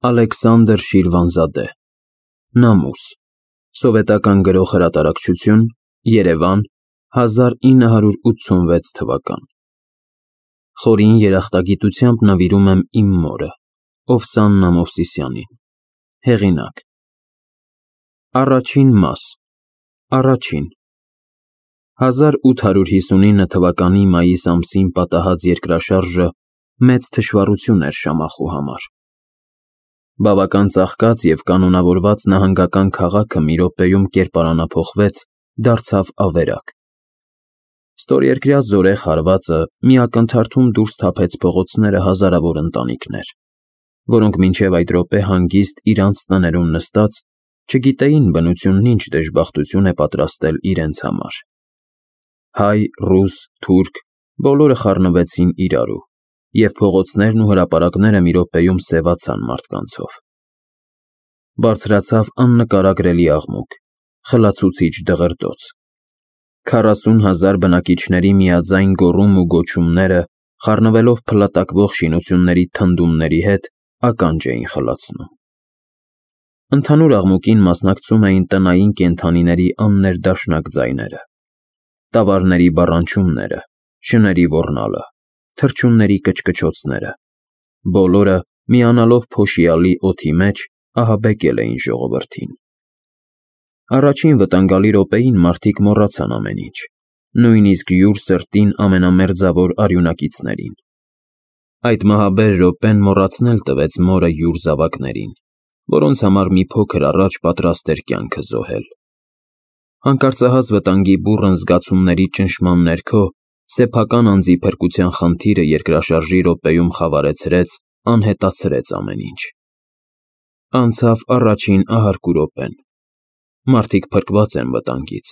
Ալեքսանդր Շիրվանզադե Նամուս Սովետական գրող հրատարակչություն Երևան 1986 թվական Խորին երախտագիտությամբ նվիրում եմ իմ մորը Օվսաննա Մովսիսյանին Հեղինակ Առաջին մաս Առաջին 1859 թվականի մայիս ամսին պատահած երկրաշարժը մեծ թշվառություն էր Շամախու համար Բավական ծաղկած և կանոնավորված նահանգական քաղաքը մի րոպեում կերպարանափոխվեց, դարձավ ավերակ։ Ստորերկրյա զորեղ հարվածը մի ակնթարթում դուրս թափեց փողոցները հազարավոր ընտանիքներ, որոնք մինչև այդ րոպե հանգիստ իրանց տներում նստած չգիտեին բնությունն ինչ դժբախտություն է պատրաստել իրենց համար։ Հայ, ռուս, թուրք բոլորը խառնվեցին իրարու, և փողոցներն ու հրապարակները մի րոպեում սևացան մարդկանցով։ Բարձրացավ աննկարագրելի աղմուկ, խլացուցիչ դղրդոց։ 40,000 բնակիչների միաձայն գոռում ու գոչումները, խառնվելով փլատակվող շինությունների թնդումների հետ, ականջ էին խլացնում։ Ընդհանուր աղմուկին մասնակցում էին տնային կենդանիների աններդաշնակ ձայները, տավարների բառանչումները, շների ոռնալը, թռչունների կչկչոցները, բոլորը միանալով փոշիալի օդի մեջ ահաբեկել էին ժողովրդին։ Առաջին վտանգալի րոպեին մարդիկ մոռացան ամեն ինչ, նույնիսկ յուր սրտին ամենամերձավոր արյունակիցներին։ Այդ մահաբեր րոպեն մոռացնել տվեց մորը յուր զավակներին, որոնց համար մի փոքր առաջ պատրաստ էր կյանքը զոհել։ Հանկարծահաս վտանգի բուռն զգացումների ճնշման ներքո սեփական անձի փրկության խնդիրը երկրաշարժի րոպեում խավարեցրեց, անհետացրեց ամեն ինչ։ Անցավ առաջին ահարկու րոպեն։ Մարդիկ փրկված են վտանգից։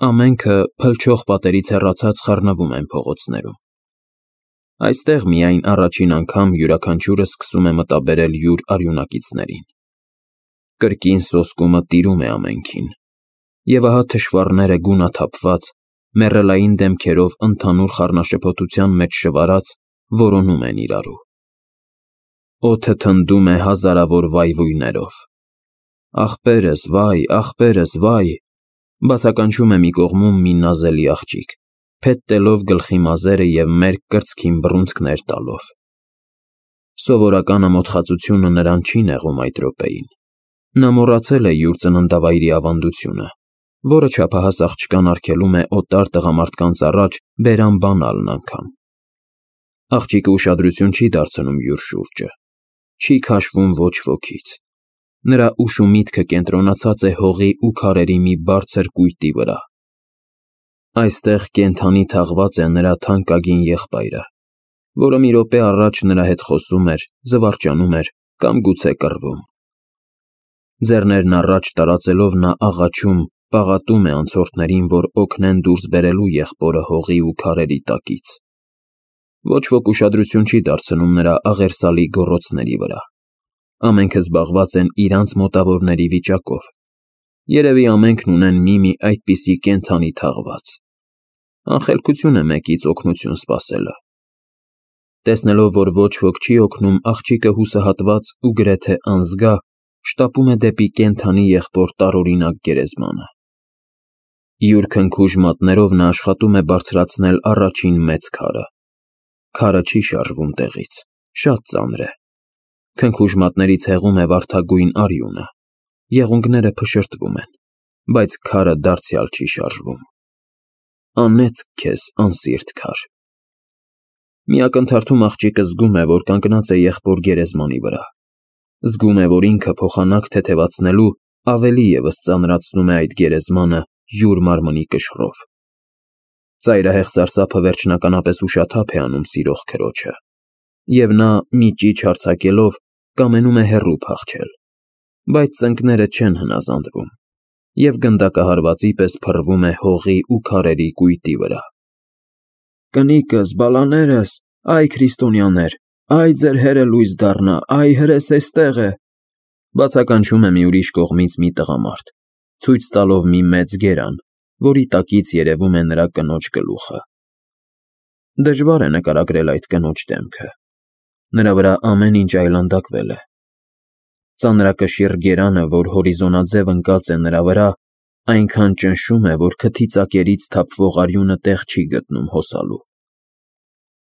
Ամենքը փլչող պատերից հեռացած խառնվում են փողոցներում։ Այստեղ միայն առաջին անգամ յուրաքանչյուրը սկսում է մտաբերել յուր արյունակիցներին։ Կրկին սոսկումը տիրում է ամենքին։ Եվ ահա թշվառները գունաթափված, մեռելային դեմքերով ընդհանուր խառնաշփոթության մեջ շվարած, որոնում են իրարու։ Օդը թնդում է հազարավոր վայվույներով։ Ախպերս, վայ, ախպերս, վայ, բացականչում է մի կողմում մի նազելի աղջիկ, փետտելով գլխի մազերը և մերկ կրծքին բռունցքներ տալով։ Սովորական ամոթխածությունը նրան չի նեղում այդ րոպեին։ Նա մոռացել է յուր ծննդավայրի ավանդությունը, որը չափահաս աղջկան արգելում է օտար տղամարդկանց առաջ բերան բանալն անգամ։ Աղջիկը ուշադրություն չի դարձնում յուր շուրջը, չի քաշվում ոչ ոքից։ Նրա ուշ ու միտքը կենտրոնացած է հողի ու քարերի մի բարձր կույտի վրա։ Այստեղ կենդանի թաղված է նրա թանկագին եղբայրը, որը մի րոպե առաջ նրա հետ խոսում էր, զվարճանում էր կամ գուցե կռվում։ Ձեռներն առաջ տարածելով նա աղաչում, պաղատում է անցորդներին, որ օգնեն դուրս բերելու եղբորը հողի ու քարերի տակից։ Ոչ ոք ուշադրություն չի դարձնում նրա աղերսալի գոռոցների վրա։ Ամենքը զբաղված են իրանց մոտավորների վիճակով։ Երևի ամենքն ունեն մի այդպիսի կենդանի թաղված։ Անխելքություն է մեկից օգնություն սպասելը։ Տեսնելով, որ ոչ ոք չի օգնում, աղջիկը հուսահատված ու գրեթե անզգա շտապում է դեպի կենդանի եղբոր տարօրինակ գերեզմանը։ Յուր քնքուշ մատներով նա աշխատում է բարձրացնել առաջին մեծ քարը։ Քարը չի շարժվում տեղից, շատ ծանր է։ Քնքուշ մատներից հեղում է վարդագույն արյունը։ Եղունգները փշրտվում են, բայց քարը դարձյալ չի շարժվում։ Անեծք քեզ, անսիրտ քար։ Մի ակնթարթում աղջիկը զգում է, որ կանգնած է եղբոր գերեզմանի վրա։ Զգում է, որ ինքը փոխանակ թեթևացնելու ավելի ևս ծանրացնում է այդ գերեզմանը յուր մարմնի կշռով։ Ծայրահեղ սարսափը վերջնականապես ուշաթափ է անում սիրող քրոջը, և նա մի ճիչ հարձակելով կամենում է հեռու փախչել, բայց ծնկները չեն հնազանդվում, և գնդակահարվածի պես փռվում է հողի ու քարերի կույտի վրա։ Կնիկս, բալաներս, այ քրիստոնյաներ, այ ձեր հերը լույս դառնա, այ հրես էստեղ է, բացականչում է մի ուրիշ կողմից մի տղամարդ, ցույց տալով մի մեծ գերան, որի տակից երևում է նրա կնոջ գլուխը։ Դժվար է նկարագրել այդ կնոջ դեմքը։ Նրա վրա ամեն ինչ այլանդակվել է։ Ծանրակշիռ գերանը, որ հորիզոնաձև ընկած է նրա վրա, այնքան ճնշում է, որ քթի ծակերից թափվող արյունը տեղ չի գտնում հոսալու։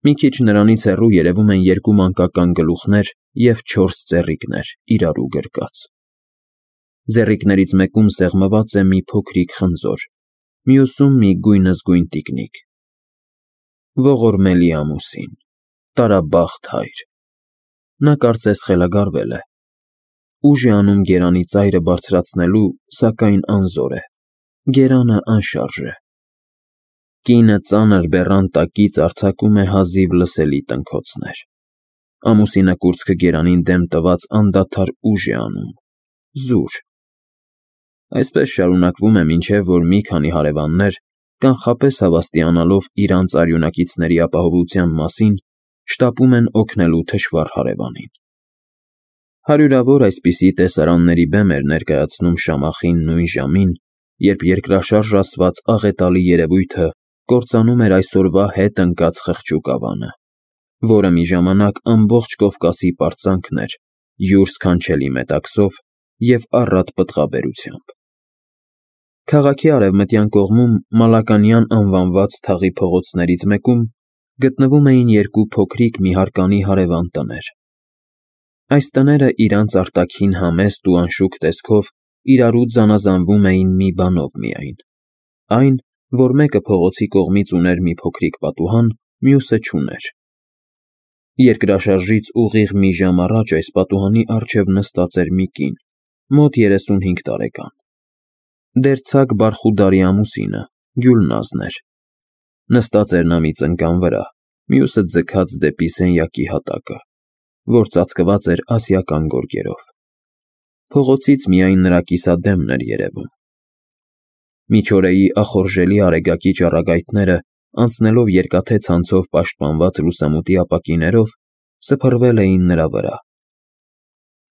Մի քիչ նրանից հեռու երևում են երկու մանկական գլուխներ և 4 ծեռիկներ, իրարու գրկած։ Ձեռիկներից մեկում սեղմված է մի փոքրիկ խնձոր, մյուսում մի գույնզգույն տիկնիկ։ Ողորմելի ամուսին, տարաբախտ հայր։ Նա կարծես խելագարվել է։ Ուժ է անում գերանի ծայրը բարձրացնելու, սակայն անզոր է։ Գերանը անշարժ է։ Կինը ծանր բեռան տակից արձակում է հազիվ լսելի տնքոցներ։ Ամուսինը կուրծքը գերանին դեմ տված անդադար ուժ է անում։ Զուր։ Այսպես շարունակվում է, մինչև որ մի քանի հարևաններ, կանխապես հավաստիանալով իրանց արյունակիցների ապահովության մասին, շտապում են օգնելու թշվառ հարևանին։ Հարյուրավոր այսպիսի տեսարանների բեմ էր ներկայացնում Շամախին նույն ժամին, երբ երկրաշարժ ասված աղետալի երևույթը կործանում էր այսօրվա հետ ընկած խղճուկ ավանը, որը մի ժամանակ ամբողջ Կովկասի պարծանքն էր, յուր սքանչելի մետաքսով և առատ պտղաբերությամբ։ Քաղաքի արևմտյան կողմում Մալականյան անվանված թաղի փողոցներից մեկում գտնվում էին երկու փոքրիկ նիհարկանի հարևան տներ։ Այս տները իրանց արտաքին համեստ ու անշուք տեսքով իրարու զանազանվում էին մի բանով միայն, այն, որ մեկը փողոցի կողմից ուներ մի փոքրիկ պատուհան, մյուսը չուներ։ Երկրաշարժից ուղիղ մի ժամ առաջ այս պատուհանի առջև նստած էր մի կին, մոտ 35 տարեկան։ Դերձակ Բարխուդարի ամուսինը, Գյուլնազն էր։ Նստած էր նա մի ծնկան վրա, մյուսը ձգած դեպի սենյակի հատակը, որ ծածկված էր ասիական գորգերով։ Փողոցից միայն նրա կիսադեմն էր երևում։ Միջօրեի ախորժելի արեգակի ճառագայթները, անցնելով երկաթե ցանցով պաշտպանված լուսամուտի ապակիներով, սփռվել էին նրա վրա։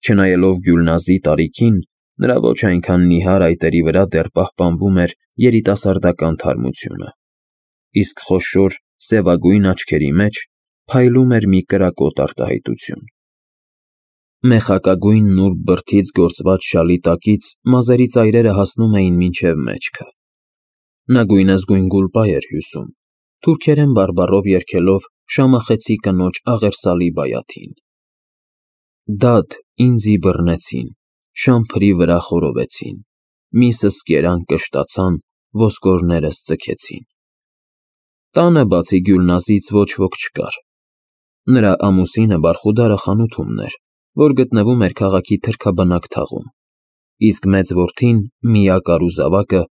Չնայելով Գյուլնազի տարիքին, նրա ոչ այնքան նիհար այտերի վրա դեռ պահպանվում էր երիտասարդական թարմությունը, իսկ խոշոր, սևագույն աչքերի մեջ փայլում էր մի կրակոտ արտահայտություն։ Մեխակագույն նուրբ բրդից գործված շալի տակից մազերի ծայրերը հասնում էին մինչև մեջքը։ Նա գույնզգույն գուլպա էր հյուսում, թուրքերեն բարբառով երգելով Շամախեցի կնոջ աղերսալի բայաթին. Դադ, ինձի բռնեցին, շամփրի վրա խորովեցին, միսս կերան կշտացան, ոսկորներս ձգեցին։ Տանը բացի Գյուլնազից ոչ ոք չկար։ Նրա ամուսինը Բարխուդարը խանութումն էր, որ գտնվում էր քաղաքի թրքաբնակ թաղում, իսկ մեծ որդին՝ միակ առուզավակը,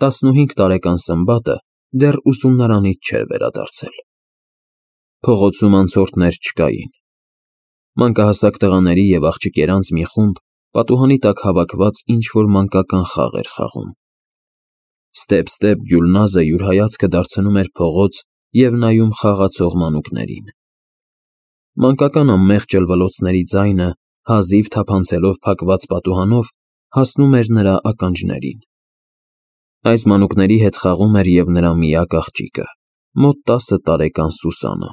15 տարեկան Սմբատը, դեռ ուսումնարանից չէր վերադարձել։ Փողոցում անցորդներ չկային։ Մանկահասակ տղաների և աղջիկերանց մի խումբ պատուհանի տակ հավաքված ինչ-որ մանկական խաղ էր խաղում։ Ստեպ Գյուլնազը յուր հայացքը դարձնում էր փողոց և նայում խաղացող մանուկներին։ Մանկական անմեղ ճլվլոցների ձայնը, հազիվ թափանցելով փակված պատուհանով, հասնում էր նրա ականջներին։ Այս մանուկների հետ խաղում էր և նրա միակ աղջիկը, մոտ 10 տարեկան Սուսանը։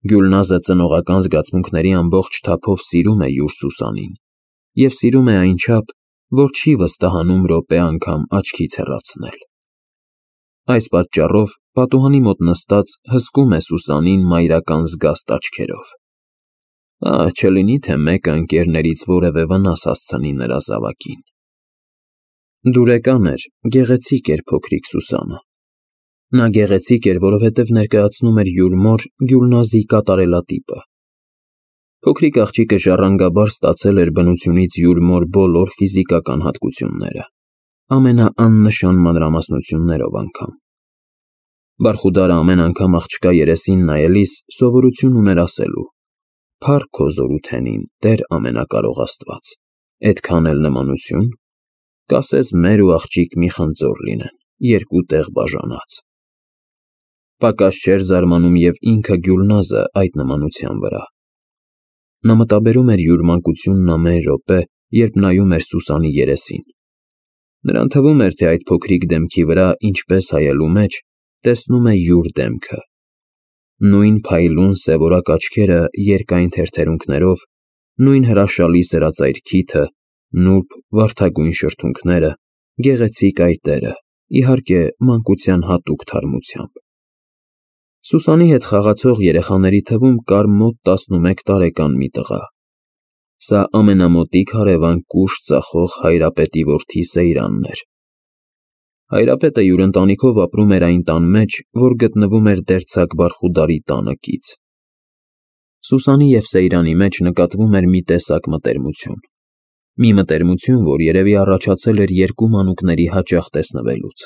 Գյուլնազը ծնողական զգացմունքների ամբողջ թափով սիրում է յուր Սուսանին և սիրում է այնչափ, որ չի վստահանում րոպե անգամ աչքից հեռացնել։ Այս պատճառով պատուհանի մոտ նստած հսկում է Սուսանին մայրական զգաստ աչքերով։ Չլինի թե մեկը ընկերներից որևէ վնաս հասցնի նրա զավակին։ Դուրեկան էր, գեղեցիկ էր փոքրիկ Սուսանը։ Նա գեղեցիկ էր, որովհետև ներկայացնում էր յուր մոր Գյուլնազի կատարելատիպը։ Փոքրիկ աղջիկը ժառանգաբար ստացել էր բնությունից յուր մոր բոլոր ֆիզիկական հատկությունները, ամենաաննշան մանրամասնություններով անգամ։ Բարխուդարը ամեն անգամ աղջկա երեսին նայելիս սովորություն ուներ ասելու. «Փառք քո զորութենին, Տեր ամենակարող Աստված, էդքան էլ նմանություն, կասես մեր ու աղջիկ մի խնձոր լինեն, երկու տեղ բաժանած»։ Պակաս չէր զարմանում և ինքը Գյուլնազը այդ նմանության վրա։ Նա մտաբերում էր յուր մանկությունն ամեն րոպե, երբ նայում էր Սուսանի երեսին։ Նրան թվում էր, թե այդ փոքրիկ դեմքի վրա, ինչպես հայելու մեջ, տեսնում է յուր դեմքը։ Նույն փայլուն սևորակ աչքերը երկայն թերթերունքներով, նույն հրաշալի սրածայր քիթը, նուրբ վարդագույն շրթունքները, գեղեցիկ այտերը, իհարկե մանկության հատուկ թարմությամբ։ Սուսանի հետ խաղացող երեխաների թվում կար մոտ 11 տարեկան մի տղա։ Սա ամենամոտիկ հարևան կուշտ ծախող հայրապետի որդի Սեյրանն էր։ Հայրապետը յուր ընտանիքով ապրում էր այն տան մեջ, որ գտնվում էր դերձակ Բարխուդարի տանը կից։ Սուսանի և Սեյրանի մեջ նկատվում էր մի տեսակ մտերմություն։ Մի մտերմություն, որ երևի առաջացել էր երկու մանուկների հաճախ տեսնվելուց։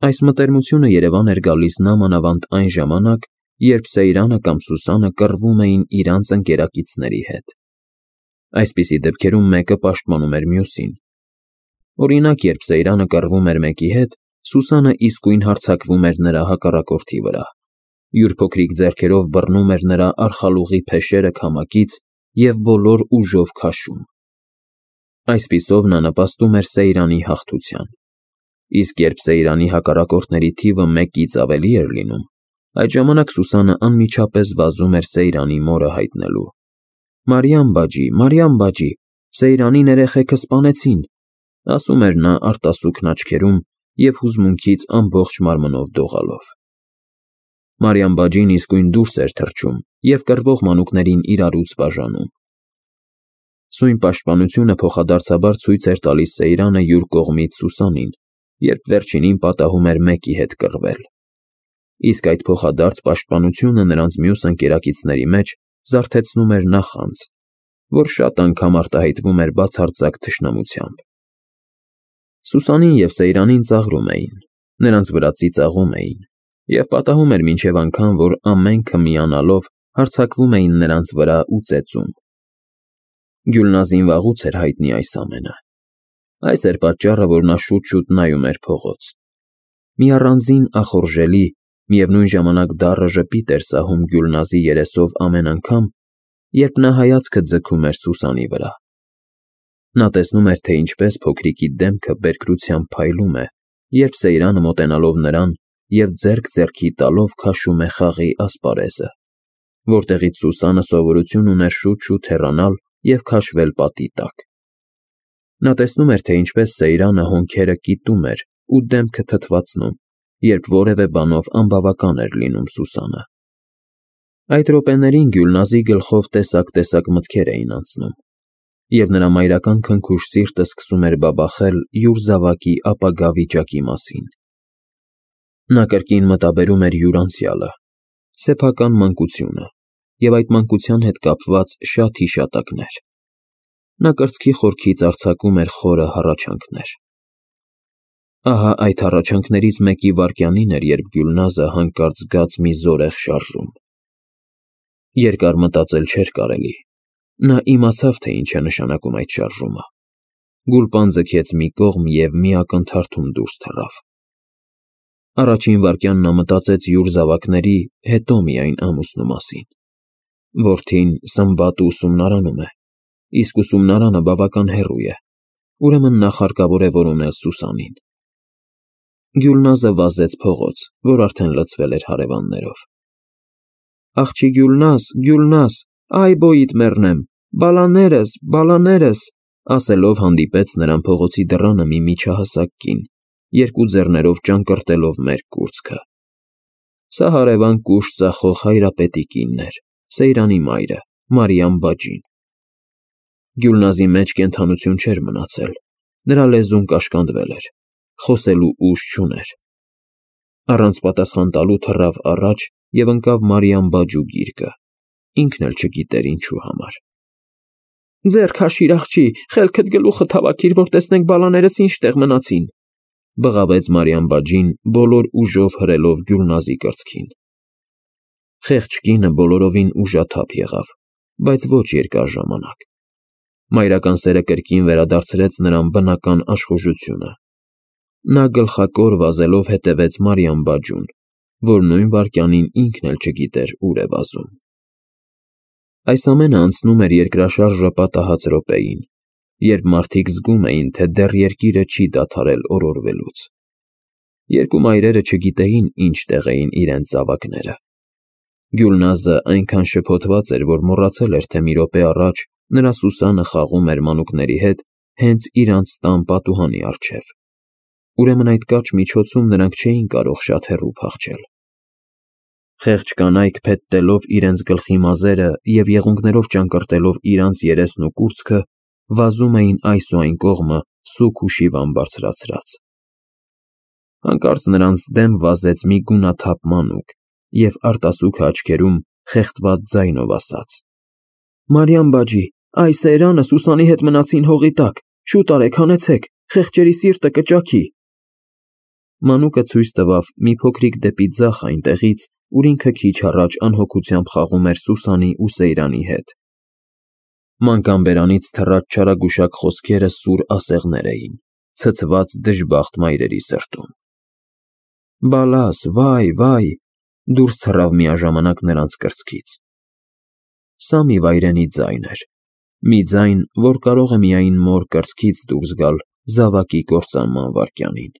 Այս մտերմությունը երևան էր գալիս նամանավանդ այն ժամանակ, երբ Սեյրանը կամ Սուսանը կռվում էին իրանց ընկերակիցների հետ։ Այսպիսի դեպքերում մեկը պաշտպանում էր մյուսին։ Օրինակ, երբ Սեյրանը կռվում էր մեկի հետ, Սուսանը իսկույն հարձակվում էր նրա հակառակորդի վրա, յուր փոքրիկ ձեռքերով բռնում էր նրա արխալուղի փեշերը քամակից և բոլոր ուժով քաշում։ Այսպիսով նա նպաստում էր Սեյրանի հաղթության։ Իսկ երբ Սեյրանի հակառակորդների թիվը մեկից ավելի էր լինում, այդ ժամանակ Սուսանը անմիջապես վազում էր Սեյրանի մորը հայտնելու։ Մարիամ բաջի, Սեյրանին երեխեքը սպանեցին, ասում էր նա արտասուքն աչքերում և հուզմունքից ամբողջ մարմնով դողալով։ Մարիամ բաջին իսկույն դուրս էր թռչում և կռվող մանուկներին իրարուց բաժանում։ Սույն պաշտպանությունը փոխադարձաբար ցույց էր տալիս Սեյրանը յուր կողմից Սուսանին, երբ վերջինին պատահում էր մեկի հետ կռվել։ Իսկ այդ փոխադարձ պաշտպանությունը նրանց մյուս ընկերակիցների մեջ զարթեցնում էր նախանձ, որ շատ անգամ արտահայտվում էր բացարձակ թշնամությամբ։ Սուսանին և Սեյրանին ծաղրում էին, նրանց վրա ծիծաղում էին, և պատահում էր մինչև անգամ, որ ամենքը միանալով հարձակվում էին նրանց վրա ու ծեծում։ Գյուլնազին վաղուց էր հայտնի այս ամենը։ Այս էր պատճառը, որ նա շուտ-շուտ նայում էր փողոց։ Մի առանձին ախորժելի, միևնույն ժամանակ դառը ժպիտ էր սահում Գյուլնազի երեսով ամեն անգամ, երբ նա հայացքը ձգում էր Սուսանի վրա։ Նա տեսնում էր, թե ինչպես փոքրիկի դեմքը բերկրությամբ փայլում է, երբ Սեյրանը մոտենալով նրան և ձեռք ձեռքի տալով քաշում է խաղի ասպարեզը, որտեղից Սուսանը սովորություն ուներ շուտ-շուտ հեռանալ և քաշվել պատի տակ։ Նա տեսնում էր, թե ինչպես Սեյրանը հոնքերը կիտում էր ու դեմքը թթվածնում, երբ որևէ բանով անբավական էր լինում Սուսանը։ Այդ րոպեներին Գյուլնազի գլխով տեսակ մտքեր էին անցնում, և նրա մայրական քնքուշ սիրտը սկսում էր բաբախել յուր զավակի ապագա վիճակի մասին։ Նա կրկին մտաբերում էր յուր անցյալը, սեփական մանկությունը և այդ մանկության հետ կապված շատ հիշատակներ։ Նա կրծքի խորքից արձակում էր խորը հառաչանքներ։ Ահա այդ հառաչանքներից մեկի վայրկյանին էր, երբ Գյուլնազը հանկարծ զգաց մի զորեղ շարժում։ Երկար մտածել չէր կարելի։ Նա իմացավ, թե ինչ է նշանակում այդ շարժումը։ Գուլպան ձգեց մի կողմ և մի ակնթարթում դուրս թռավ։ Առաջին վայրկյան նա մտածեց յուր զավակների, հետո միայն ամուսնու մասին։ Որդին Սմբատը ուսումնարանում է, իսկ ուսումնարանը բավական հեռու է, ուրեմն նախ հարկավոր է որոնել Սուսանին։ Գյուլնազը վազեց փողոց, որ արդեն լցվել էր հարևաններով։ Աղջի Գյուլնազ, այ բոյիդ մեռնեմ, բալաներս, ասելով հանդիպեց նրան փողոցի դռանը մի միջահասակ կին, երկու ձեռներով ճանկռտելով մերկ կուրծքը։ Սա հարևան կուշտ ծախող հայրապետի կինն էր, Սեյրանի մայրը, Մարիամ բաջին։ Գյուլնազի մեջ կենդանություն չէր մնացել, նրա լեզուն կաշկանդվել էր, խոսելու ուժ չուներ։ Առանց պատասխան տալու թռավ առաջ և ընկավ Մարիամ բաջու գիրկը, ինքն էլ չգիտեր ինչու համար։ Ձեռ քաշիր, աղջի, խելքդ գլուխդ հավաքիր, որ տեսնենք բալաներս ինչ տեղ մնացին, բղավեց Մարիամ բաջին, բոլոր ուժով հրելով Գյուլնազի կրծքին։ Խեղճ կինը բոլորովին ուժաթափ եղավ, բայց ոչ երկար ժամանակ։ Մայրական սերը կրկին վերադարձրեց նրան բնական աշխուժությունը։ Նա գլխակոր վազելով հետևեց Մարիամ բաջուն, որ նույն վայրկյանին ինքն էլ չգիտեր ուր է վազում։ Այս ամենը անցնում էր երկրաշարժը պատահած րոպեին, երբ մարդիկ զգում էին, թե դեռ երկիրը չի դադարել օրորվելուց։ Երկու մայրերը չգիտեին ինչ տեղ էին իրենց զավակները։ Գյուլնազը այնքան շփոթված էր, որ մոռացել էր, թե մի րոպե առաջ նրա Սուսանը խաղում էր մանուկների հետ հենց իրանց տան պատուհանի առջև։ Ուրեմն այդ կարճ միջոցում նրանք չէին կարող շատ հեռու փախչել։ Խեղճ կանայք փետտելով իրենց գլխի մազերը և եղունգներով ճանկռտելով իրանց երեսն ու կուրծքը, վազում էին այս ու այն կողմը սուգ ու շիվան բարձրացրած։ Հանկարծ նրանց դեմ վազեց մի գունաթափ մանուկ և արտասուքը աչքերում խեղդված ձայնով ասաց. «Մարիամ բաջի, այ Սեյրանը Սուսանի հետ մնացին հողի տակ, շուտ արեք, հանեցեք, խեղճերի սիրտը կճաքի»։ Մանուկը ցույց տվավ մի փոքրիկ դեպի ձախ այնտեղից, ուր ինքը քիչ առաջ անհոգությամբ խաղում էր Սուսանի ու Սեյրանի հետ։ Մանկան բերանից թռած չարագուշակ խոսքերը սուր ասեղներ էին, ցցված դժբախտ մայրերի սրտում։ «Բալաս, վայ, վայ», դուրս թռավ միաժամանակ նրանց կրծքից։ Սա մի վայրենի ձայն էր, մի ձայն, որ կարող է միայն մոր կրծքից դուրս գալ զավակի կործանման վայրկյանին։